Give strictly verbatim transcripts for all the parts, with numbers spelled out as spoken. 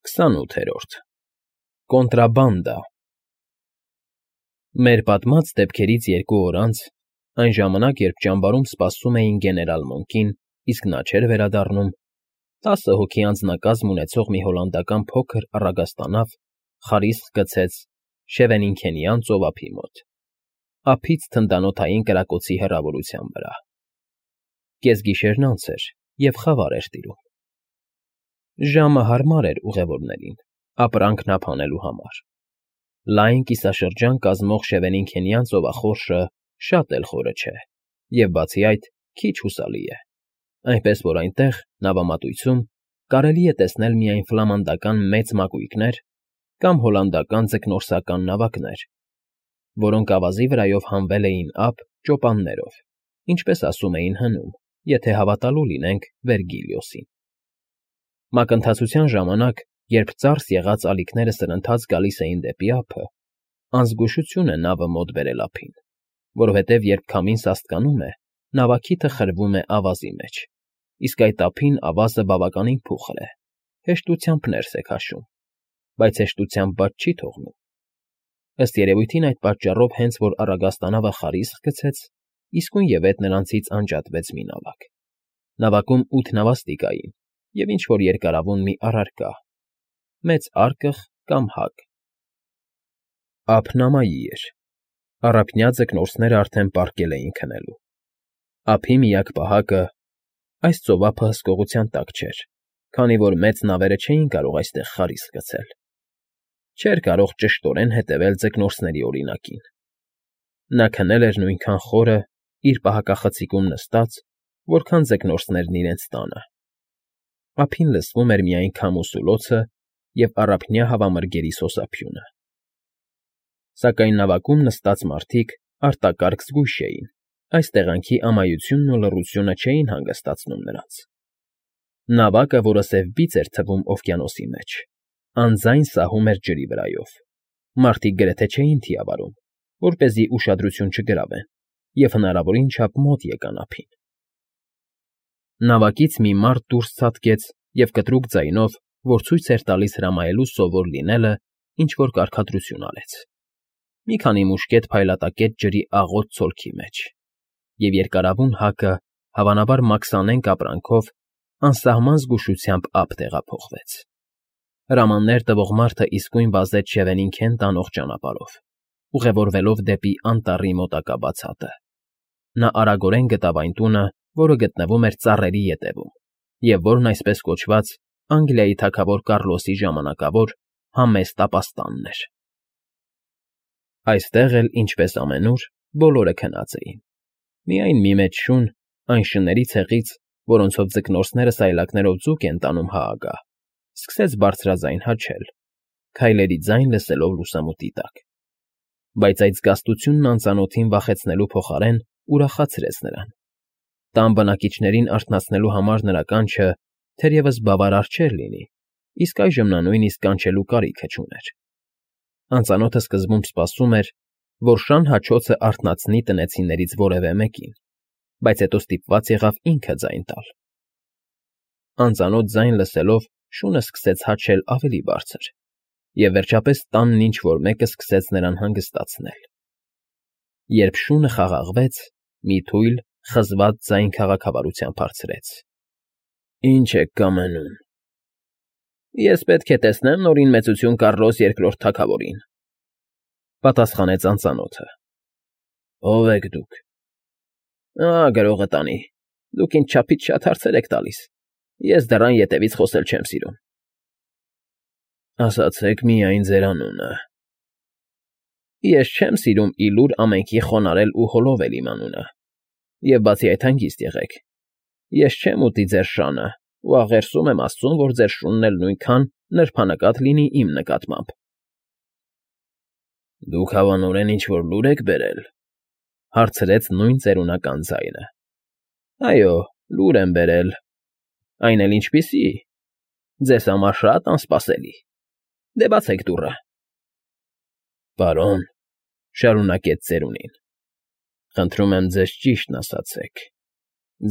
Քսանութերորդ Կոնտրաբանդա Մեր պատմած դեպքերից երկու օր անց, այն ժամանակ, երբ ճամբարում սպասում էին գեներալ Մոնկին, իսկ նա չէր վերադառնում, տասը հոգի անձնակազմ ունեցող մի հոլանդական փոքր առագաստանավ խարիսկ գցեց Շևենինքենյան ծովափի մոտ, ափից թնդանոթային կրակոցի հեռավորության վրա։ Կեսգիշերն անց էր, և խավար էր տիրում։ Ժամը հարմար էր ուղևորներին, ապրանքն ափ անելու համար։ Լայն կիսաշրջան կազմող Շևենինքենյան ծովախորշը շատ էլ խորը չէ և, բացի այդ, քիչ հուսալի է, այնպես որ այնտեղ, նավամատույցում, կարելի է տեսնել միայն ֆլամանդական մեծ մակույկներ կամ հոլանդական ձկնորսական նավակներ, որոնք ավազի վրայով հանվել էին ափ ճոպաններով, ինչպես ասում էին հնում, եթե հավատալու լինենք Վերգիլիոսին։ Մակընթացության ժամանակ, երբ ծարս եղած ալիքները սրընթաց գալիս էին դեպի ափը, անզգուշություն է նավը մոտ բերել ափին, որովհետև երբ քամին սաստկանում է, նավակիթը խրվում է ավազի մեջ, իսկ այդ ափին ավազը բավականին փուխր է, հեշտությամբ ներս է քաշում, բայց հեշտությամբ բաց չի թողնում։ Ըստ երևույթին այդ պատճառով հենց որ առագաստանավը խարիսկ գցեց, իսկույնևեթ նրանցից անջատվեց մի նավակ։ Նավակում ութ նավաստիկ կային և ինչ֊որ երկարավուն մի առարկա, մեծ արկղ կամ հակ։ Ափն ամայի էր, առափնյա ձկնորսներն արդեն պառկել էին քնելու։ Ափի միակ պահակը… այս ծովափը հսկողության տակ չէր, քանի որ մեծ նավերը չէին կարող այստեղ խարիսկ գցել։ Չէր կարող ճշտորեն հետևել ձկնորսների օրինակին։ Նա քնել էր նույնքան խորը, իր պահակախցիկում նստած, որքան ձկնորսներն իրենց տանը։ Ափին լսվում էր միայն քամու սուլոցը և առափնյա հավամրգերի սոսափյունը։ Սակայն նավակում նստած մարդիկ արտակարգ զգույշ էին, այս տեղանքի ամայությունն ու լռությունը չէին հանգստացնում նրանց։ Նավակը, որը սև բիծ էր թվում օվկիանոսի մեջ, անձայն սահում էր ջրի վրայով։ Մարդիկ գրեթե չէին թիավարում, որպեսզի ուշադրություն չգրավեն և հնարավորին չափ մոտ եկան ափին։ Նավակից մի մարդ դուրս ցատկեց և կտրուկ ձայնով, որ ցույց էր տալիս հրամայելու սովոր լինելը, ինչ֊որ կարգադրություն արեց։ Մի քանի մուշկետ փայլատակեց ջրի աղոտ ցոլքի մեջ, և երկարավուն հակը, հավանաբար մաքսանենգ ապրանքով, անսահման զգուշությամբ ափ տեղափոխվեց։ Հրամաններ տվող մարդը իսկույն վազեց Շևենինքեն տանող ճանապարհով, ուղևորվելով դեպի անտառի մոտակա բացատը։ Նա արագորեն գտավ այն տունը, որը գտնվում էր ծառերի ետևում, և որն այսպես կոչված Անգլիայի թագավոր Կառլոսի ժամանակավոր համեստ ապաստանն էր։ Այստեղ էլ, ինչպես ամենուր, բոլորը քնած էին։ Միայն մի մեծ շուն, այն շների ցեղից, որոնցով ձկնորսները սայլակներով ձուկ են տանում հա ագահ, սկսեց բարձրաձայն հաչել, քայլերի ձայն լսելով լուսամուտի տակ։ Բայց այդ զգաստությունն անծանոթին վախեցնելու փոխարեն ուրախացրեց նրան։ Տան բնակիչներին արթնացնելու համար նրա կանչը թերևս բավարար չէր լինի, իսկ այժմ նա նույնիսկ կանչելու կարիքը չուներ։ Անծանոթը սկզբում սպասում էր, որ շան հաչոցը արթնացնի տնեցիներից որևէ մեկին, բայց հետո ստիպված եղավ ինքը ձայն տալ։ Անծանոթ ձայն լսելով՝ շունը սկսեց հաչել ավելի բարձր, և վերջապես տանն ինչ֊որ մեկը սկսեց նրան հանգստացնել։ Երբ շունը խաղաղվեց, մի թույլ, խզված ձայն քաղաքավարությամբ հարցրեց. ֊ Ի՞նչ եք կամենում։ ֊ Ես պետք է տեսնեմ Նորին Մեծություն Կառլոս Երկրորդ թագավորին,֊ պատասխանեց անծանոթը։ ֊ Ո՞վ եք դուք։ ֊ Ա, գրողը տանի, դուք ինձ չափից շատ հարցեր եք տալիս, ես դռան ետևից խոսել չեմ սիրում։ ֊ Ասացեք միայն ձեր անունը։ ֊ Ես չեմ սիրում ի լուր ամենքի խոնարհել ու հոլովել իմ անունը, և բացի այդ հանգիստ եղեք, ես չեմ ուտի ձեր շանը ու աղերսում եմ աստծուն, որ ձեր շունն էլ նույնքան նրբանկատ լինի իմ նկատմամբ։ ֊ Դուք հավանորեն ինչ֊որ լուր եք բերել,֊ հարցրեց նույն ծերունական ձայնը։ ֊ Այո, լուր եմ բերել։ Այն էլ ինչպիսի… ձեզ համար շատ անսպասելի… Դե բացեք դուռը։ ֊ Պարոն,֊ շարունակեց ծերունին,֊ խնդրում եմ ձեզ ճիշտն ասացեք.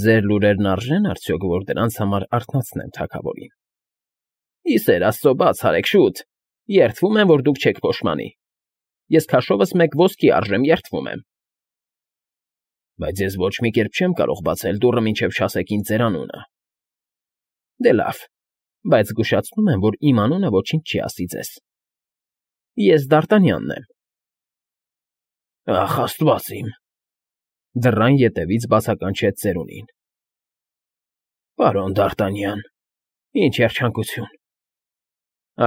ձեր լուրերն արժե՞ն արդյոք, որ դրանց համար արթնացնեմ թագավորին։ Ի սեր Աստծո, բաց արեք, շուտ, երդվում եմ, որ դուք չեք փոշմանի, ես քաշովս մեկ ոսկի արժեմ, երդվում եմ։ Բայց ես ոչ մի կերպ չեմ կարող բացել դուռը, մինչև չասեք ինձ ձեր անունը։ Դե լավ, բայց զգուշացնում եմ, որ իմ անունը ոչինչ չի ասի ձեզ։ Ես Դարտանյանն եմ։ Ախ, Աստված իմ, դռան ետևից բացականչեց ծերունին։ Պարոն Դարտանյան, ինչ երջանկություն։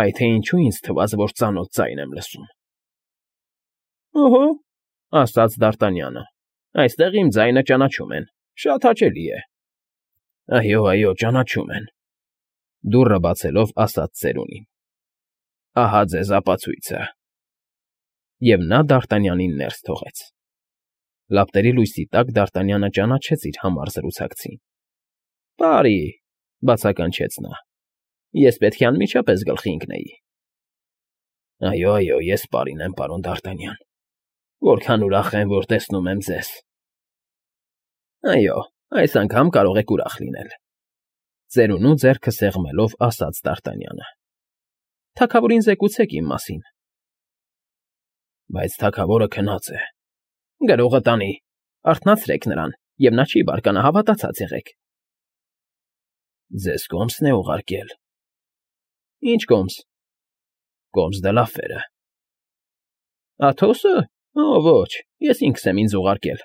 Այ թե ինչու ինձ թվաց, որ ծանոթ ձայն եմ լսում։ Օհո, ասաց Դարտանյանը, այստեղ իմ ձայնը ճանաչում են, շատ հաճելի է։ Այո, այո, ճանաչում են, դուռը բացելով ասաց ծերունին։ Ահա ձեզ ապացույցը։ Եվ նա Դարտանյանին ներս թողեց։ Լապտերի լույսի տակ Դարտանյանը ճանաչեց իր համառ զրուցակցին։ Բարի, բացականչեց նա, ես պետք է անմիջապես գլխի ընկնեի։ Այո, այո, ես պարին եմ, պարոն Դարտանյան, որքան ուրախ եմ, որ տեսնում եմ ձեզ։ Այո, այս անգամ կարող եք ուրախ լինել, ծերունու ձեռքը սեղմելով ասաց Դարտանյանը։ Թագավորին զեկուցեք իմ մասին։ Բայց թագավորը քնած է։ Գրողը տանի, արթնացրեք նրան, և նա չի բարկանա, հավատացած եղեք։ Ձեզ կոմսն է ուղարկել։ Ինչ կոմս։ Կոմս դե լաֆերը։ Աթոսը։ Օ, ոչ, ես ինքս եմ ինձ ուղարկել։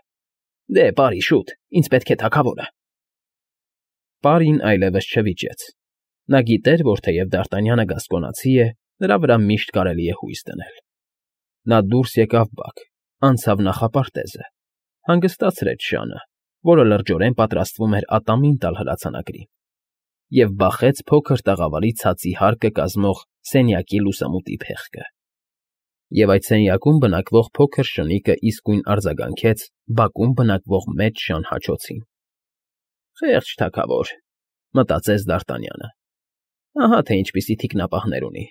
Դե, բարի, շուտ, ինձ պետք է թագավորը։ Պարին այլևս չվիճեց։ Նա գիտեր, որ թեև Դարտանյանը գասկոնացի է, նրա վրա միշտ կարելի է հույս դնել։ Նա դուրս եկավ բակ, անցավ նախապարտեզը, հանգստացրեց շանը, որը լրջորեն պատրաստվում էր ատամին տալ հրացանակրին, և բախեց փոքր տաղավարի ցածի հարկը կազմող սենյակի լուսամուտի փեղկը։ Եվ այդ սենյակում բնակվող փոքր շնիկը իսկույն արձագանքեց բակում բնակվող մեծ շան հաչոցին։ Խեղճ թագավոր, մտածեց Դարտանյանը։ Ահա թե ինչպիսի թիկնապահներ ունի,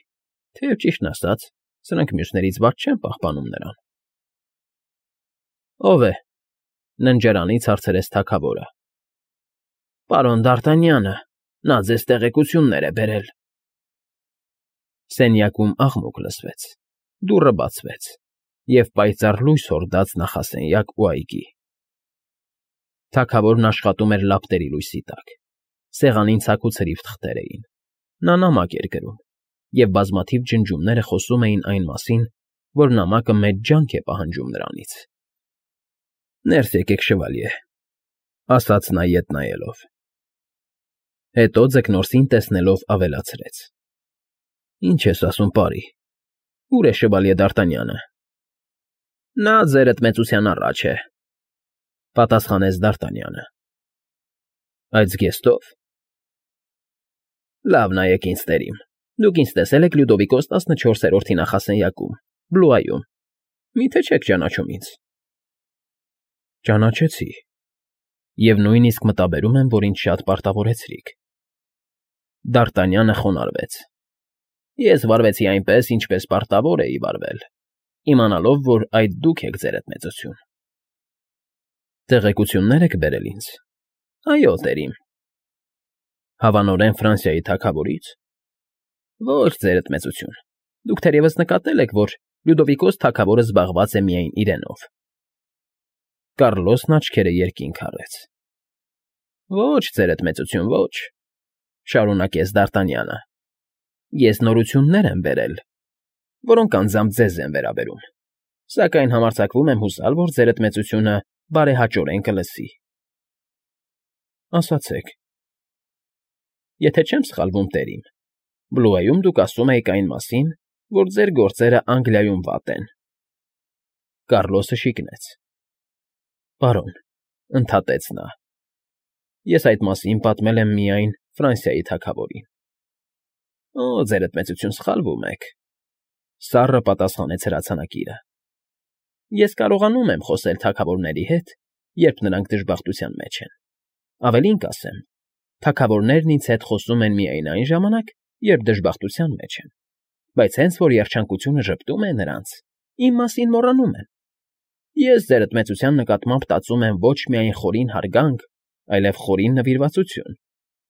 թեև ճիշտն ասած, սրանք մյուսներից վատ չեն պահպանում նրան։ Ո՞վ է, ննջարանից հարցրեց թագավորը։ Պարոն Դարտանյանը, նա ձեզ տեղեկություններ է բերել։ Սենյակում աղմուկ լսվեց, դուռը բացվեց, և պայծառ լույս հորդաց նախասենյակ ու այգի։ Թագավորն աշխատում էր լապտերի լույսի տակ, սեղանին ցաքուցրիվ թղթեր էին, նա նամակ էր գրում, և բազմաթիվ ջնջումները խոսում էին այն մասին, որ նամակը մեծ ջանք է պահանջում նրանից։ Ներս եկեք, շվալյե, ասաց նա ետ նայելով։ Հետո ձկնորսին տեսնելով ավելացրեց. Ինչ ես ասում, պարի, ո՞ւր է շվալյե Դարտանյանը։ Նա ձերդ մեծության առաջ է, պատասխանեց Դարտանյանը։ Այդ զգեստով։ Լավ նայեք ինձ տերիմ, դուք ինձ տեսել եք Լյուդովիկոս տասնչորսերորդի նախասենյակում, Բլուայում, մի՞թե չեք ճանաչում ինձ։ Ճանաչեցի, և նույնիսկ մտաբերում եմ, որ ինձ շատ պարտավորեցրիք։ Դարտանյանը խոնարհվեց։ Ես վարվեցի այնպես, ինչպես պարտավոր էի վարվել, իմանալով, որ այդ դուք եք ձերդ մեծություն։ Տեղեկություններ եք բերել ինձ։ Այո, տերիմ։ Հավանորեն Ֆրանսիայի թագավորից։ Ոչ, ձերդ մեծություն, դուք թերևս նկատել եք, որ Լյուդովիկոս թագավորը զբաղված է միայն իրենով։ Կառլոսն աչքերը երկինք առեց։ Ոչ, ձերդ մեծություն, ոչ, շարունակեց Դարտանյանը։ Ես նորություններ եմ բերել, որոնք անձամբ ձեզ են վերաբերում, սակայն համարձակվում եմ հուսալ, որ ձերդ մեծությունը բարեհաճորեն կլսի։ Ասացեք։ Եթե չեմ սխալվում, տերիմ, Բլուայում դուք ասում եք այն մասին, որ ձեր գործերը Անգլիայում վատ են։ Կառլոսը շիկնեց։ Պարոն, ընդհատեց նա, ես այդ մասին պատմել եմ միայն Ֆրանսիայի թագավորին։ Օ, ձերդ մեծություն, սխալվում եք, սառը պատասխանեց հրացանակիրը։ Ես կարողանում եմ խոսել թագավորների հետ, երբ նրանք դժբախտության մեջ են։ Ավելին կասեմ, թագավորներն ինձ հետ խոսում են միայն այն ժամանակ, երբ դժբախտության մեջ են, բայց հենց որ երջանկությունը ժպտում է նրանց, իմ մասին մոռանում են։ Ես ձերդ մեծության նկատմամբ տածում եմ ոչ միայն խորին հարգանք, այլև խորին նվիրվածություն,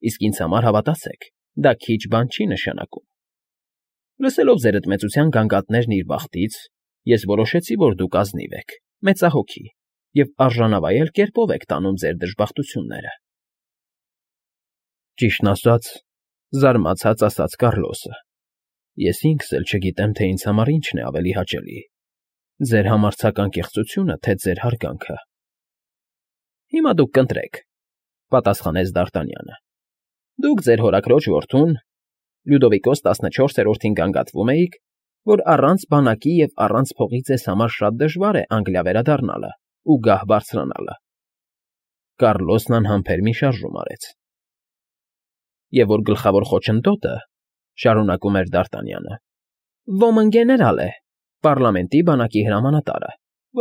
իսկ ինձ համար հավատացեք, դա քիչ բան չի նշանակում։ Լսելով ձերդ մեծության գանգատներն իր բախտից, ես որոշեցի, որ դուք ազնիվ եք, մեծահոգի և արժանավայել կերպով եք տանում ձեր դժբախտությունները։ Ճիշտն ասած, զարմացած ասաց Կառլոսը, ես ինքս էլ չգիտեմ, թե ինձ համար ինչն է ավելի հաճելի՝ ձեր համարձակ անկեղծությունը, թե ձեր հարգանքը։ Հիմա դուք կընտրեք, պատասխանեց Դ'Արտանյանը։ Դուք ձեր հորաքրոջ որդուն, Լյուդովիկոս տասնչորսերորդին գանգատվում էիք, որ առանց բանակի և առանց փողի ձեզ համար շատ դժվար է Անգլիա վերադառնալը ու գահ բարձրանալը։ Կառլոսն անհամբեր մի շարժում արեց։ Եվ որ գլխավոր խոչընդոտը, շարունակում էր Դ'Արտանյանը, ոմն գեներալ է, պառլամենտի բանակի հրամանատարը,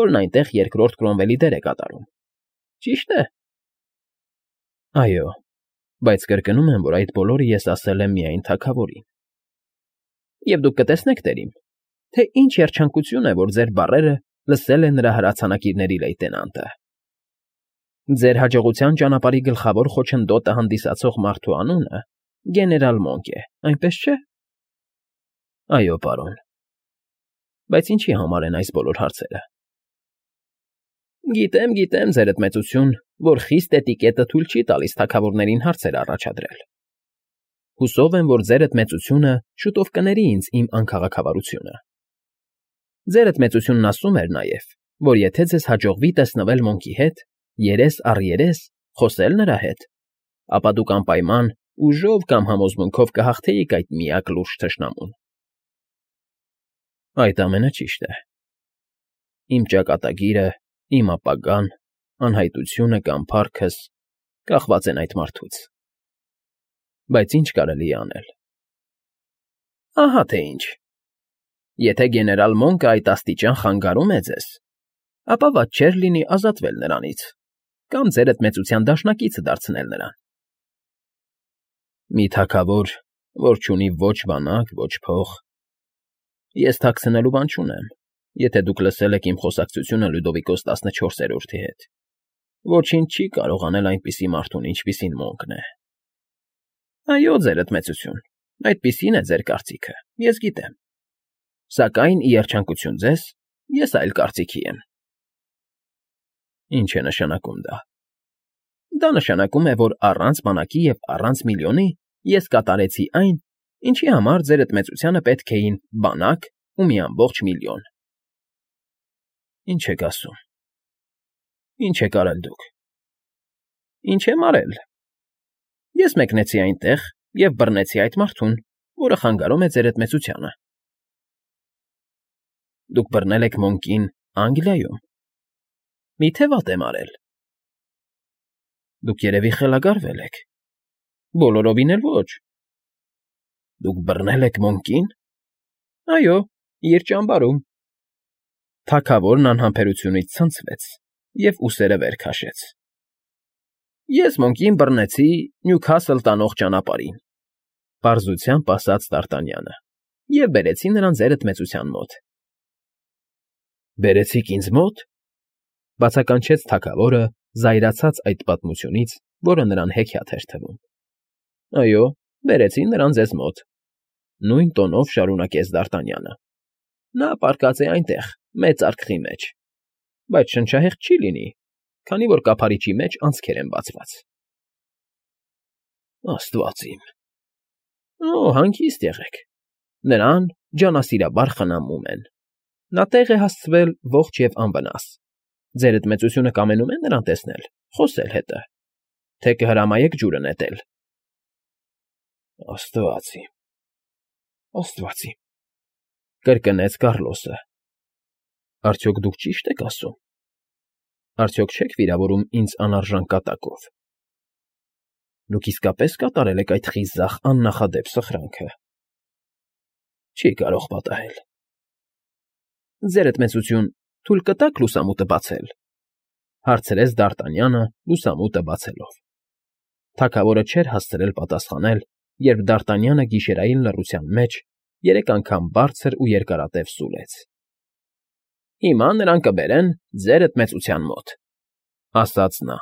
որն այնտեղ երկրորդ Կրոմվելի դեր է կատարում։ Ճի՞շտ է։ Այո, բայց կրկնում եմ, որ այդ բոլորը ես ասել եմ միայն թագավորին։ Եվ դուք կտեսնեք, տերիմ, թե ինչ երջանկություն է, որ ձեր բառերը լսել է նրա հրացանակիրների լեյտենանտը։ Ձեր հաջողության ճանապարհի գլխավոր խոչընդոտը հանդիսացող մարդու անունը գեներալ Մոնկ է, այնպես չէ։ Այո, պարոն։ Բայց ինչի համար են այս բոլոր հարցերը։ Գիտեմ, գիտեմ, ձերդ մեծություն, որ խիստ էտիկետը թույլ չի տալիս թագավորներին հարցեր առաջադրել։ Հուսով եմ, որ ձերդ մեծությունը շուտով կների ինձ իմ անքաղաքավարությունը։ Ձերդ մեծությունն ասում էր նաև, որ եթե ձեզ հաջողվի տեսնվել Մոնկի հետ, երես առ երես, խոսել նրա հետ, ապա դուք անպայման ուժով կամ համոզմունքով կհաղթեիք այդ միակ լուրջ թշնամուն։ Այդ ամենը ճիշտ է։ Իմ ճակատագիրը, իմ ապագան, անհայտությունը կամ փառքս կախված են այդ մարդուց։ Բայց ինչ կարելի է անել։ Ահա թե ինչ։ Եթե գեներալ Մոնկը այդ աստիճան խանգարում է ձեզ, ապա վատ չէր լինի ազատվել նրանից կամ ձերդ մեծության դաշնակիցը դարձնել նրան։ Մի թագավոր, որ չունի ոչ բանակ, ոչ փող։ Ես թաքցնելու բան չունեմ, եթե դուք լսել եք իմ խոսակցությունը Լյուդովիկոս տասնչորսերորդի հետ։ Ոչինչ չի կարող անել այնպիսի մարդուն, ինչպիսին Մոնկն է։ Այո, ձերդ մեծություն, այդպիսին է ձեր կարծիքը, ես գիտեմ։ Սակայն, ի երջանկություն ձեզ, ես այլ կարծիքի եմ։ Ինչ է նշանակում դա։ Դա նշանակում է, որ առանց բանակի և առանց միլիոնի ես կատարեցի այն, ինչի համար ձերդ մեծությանը պետք էին բանակ ու մի ամբողջ միլիոն։ Ինչ եք ասում։ Ինչ եք արել դուք։ Ինչ եմ արել։ Ես մեկնեցի այնտեղ և բռնեցի այդ մարդուն, որը խանգարում է ձերդ մեծությանը։ Դուք բռնել եք Մոնկին Անգլիայում։ Մի՞թե վատ եմ արել։ Դուք երևի խելագարվել եք։ Բոլորովին էլ ոչ։ Դուք բռնել եք Մոնկին։ Այո, իր ճամբարում։ Թագավորն անհամբերությունից ցնցվեց և ուսերը վեր քաշեց։ Ես Մոնկին բռնեցի Նյուքասլ տանող ճանապարհին, պարզությամբ ասաց Դ'Արտանյանը, և բերեցի նրան ձերդ մեծության մոտ։ Բերեցիք ինձ մոտ, բացականչեց թագավորը, զայրացած այդ պատմությունից, որը նրան հեքիաթ էր թվում։ Այո, բերեցի նրան ձեզ մոտ, նույն տոնով շարունակեց Դ'Արտանյանը։ Նա պառկած է այնտեղ, մեծ արկղի մեջ, բայց շնչահեղձ չի լինի, քանի որ կափարիչի մեջ անցքեր են բացված։ Աստված իմ։ Օ, հանգիստ եղեք։ Նրան ջանասիրաբար խնամում են։ Նա տեղ է հասցվել ողջ և անվնաս։ Ձերդ մեծությունը կամենում է նրան տեսնել, խոսել հետը, թե կհրամայեք ջուրը նետել։ Աստված իմ, աստված իմ, կրկնեց Կառլոսը։ Արդյոք դուք ճի՞շտ եք ասում։ Արդյոք չեք վիրավորում ինձ անարժան կատակով։ Դուք իսկապես կատարել եք այդ խիզախ աննախադեպ սխրանքը։ Չի կարող պատահել։ Ձերդ մեծություն, թույլ կտա՞ք լուսամուտը բացել, հարցրեց Դ'Արտանյանը լուսամուտը բացելով։ Թագավորը չէր հասցրել պատասխանել, երբ Դ'Արտանյանը գիշերային լռության մեջ երեք անգամ բարձր ու երկարատև սուլեց։ Հիմա նրան կբերեն ձերդ մեծության մոտ, ասաց նա։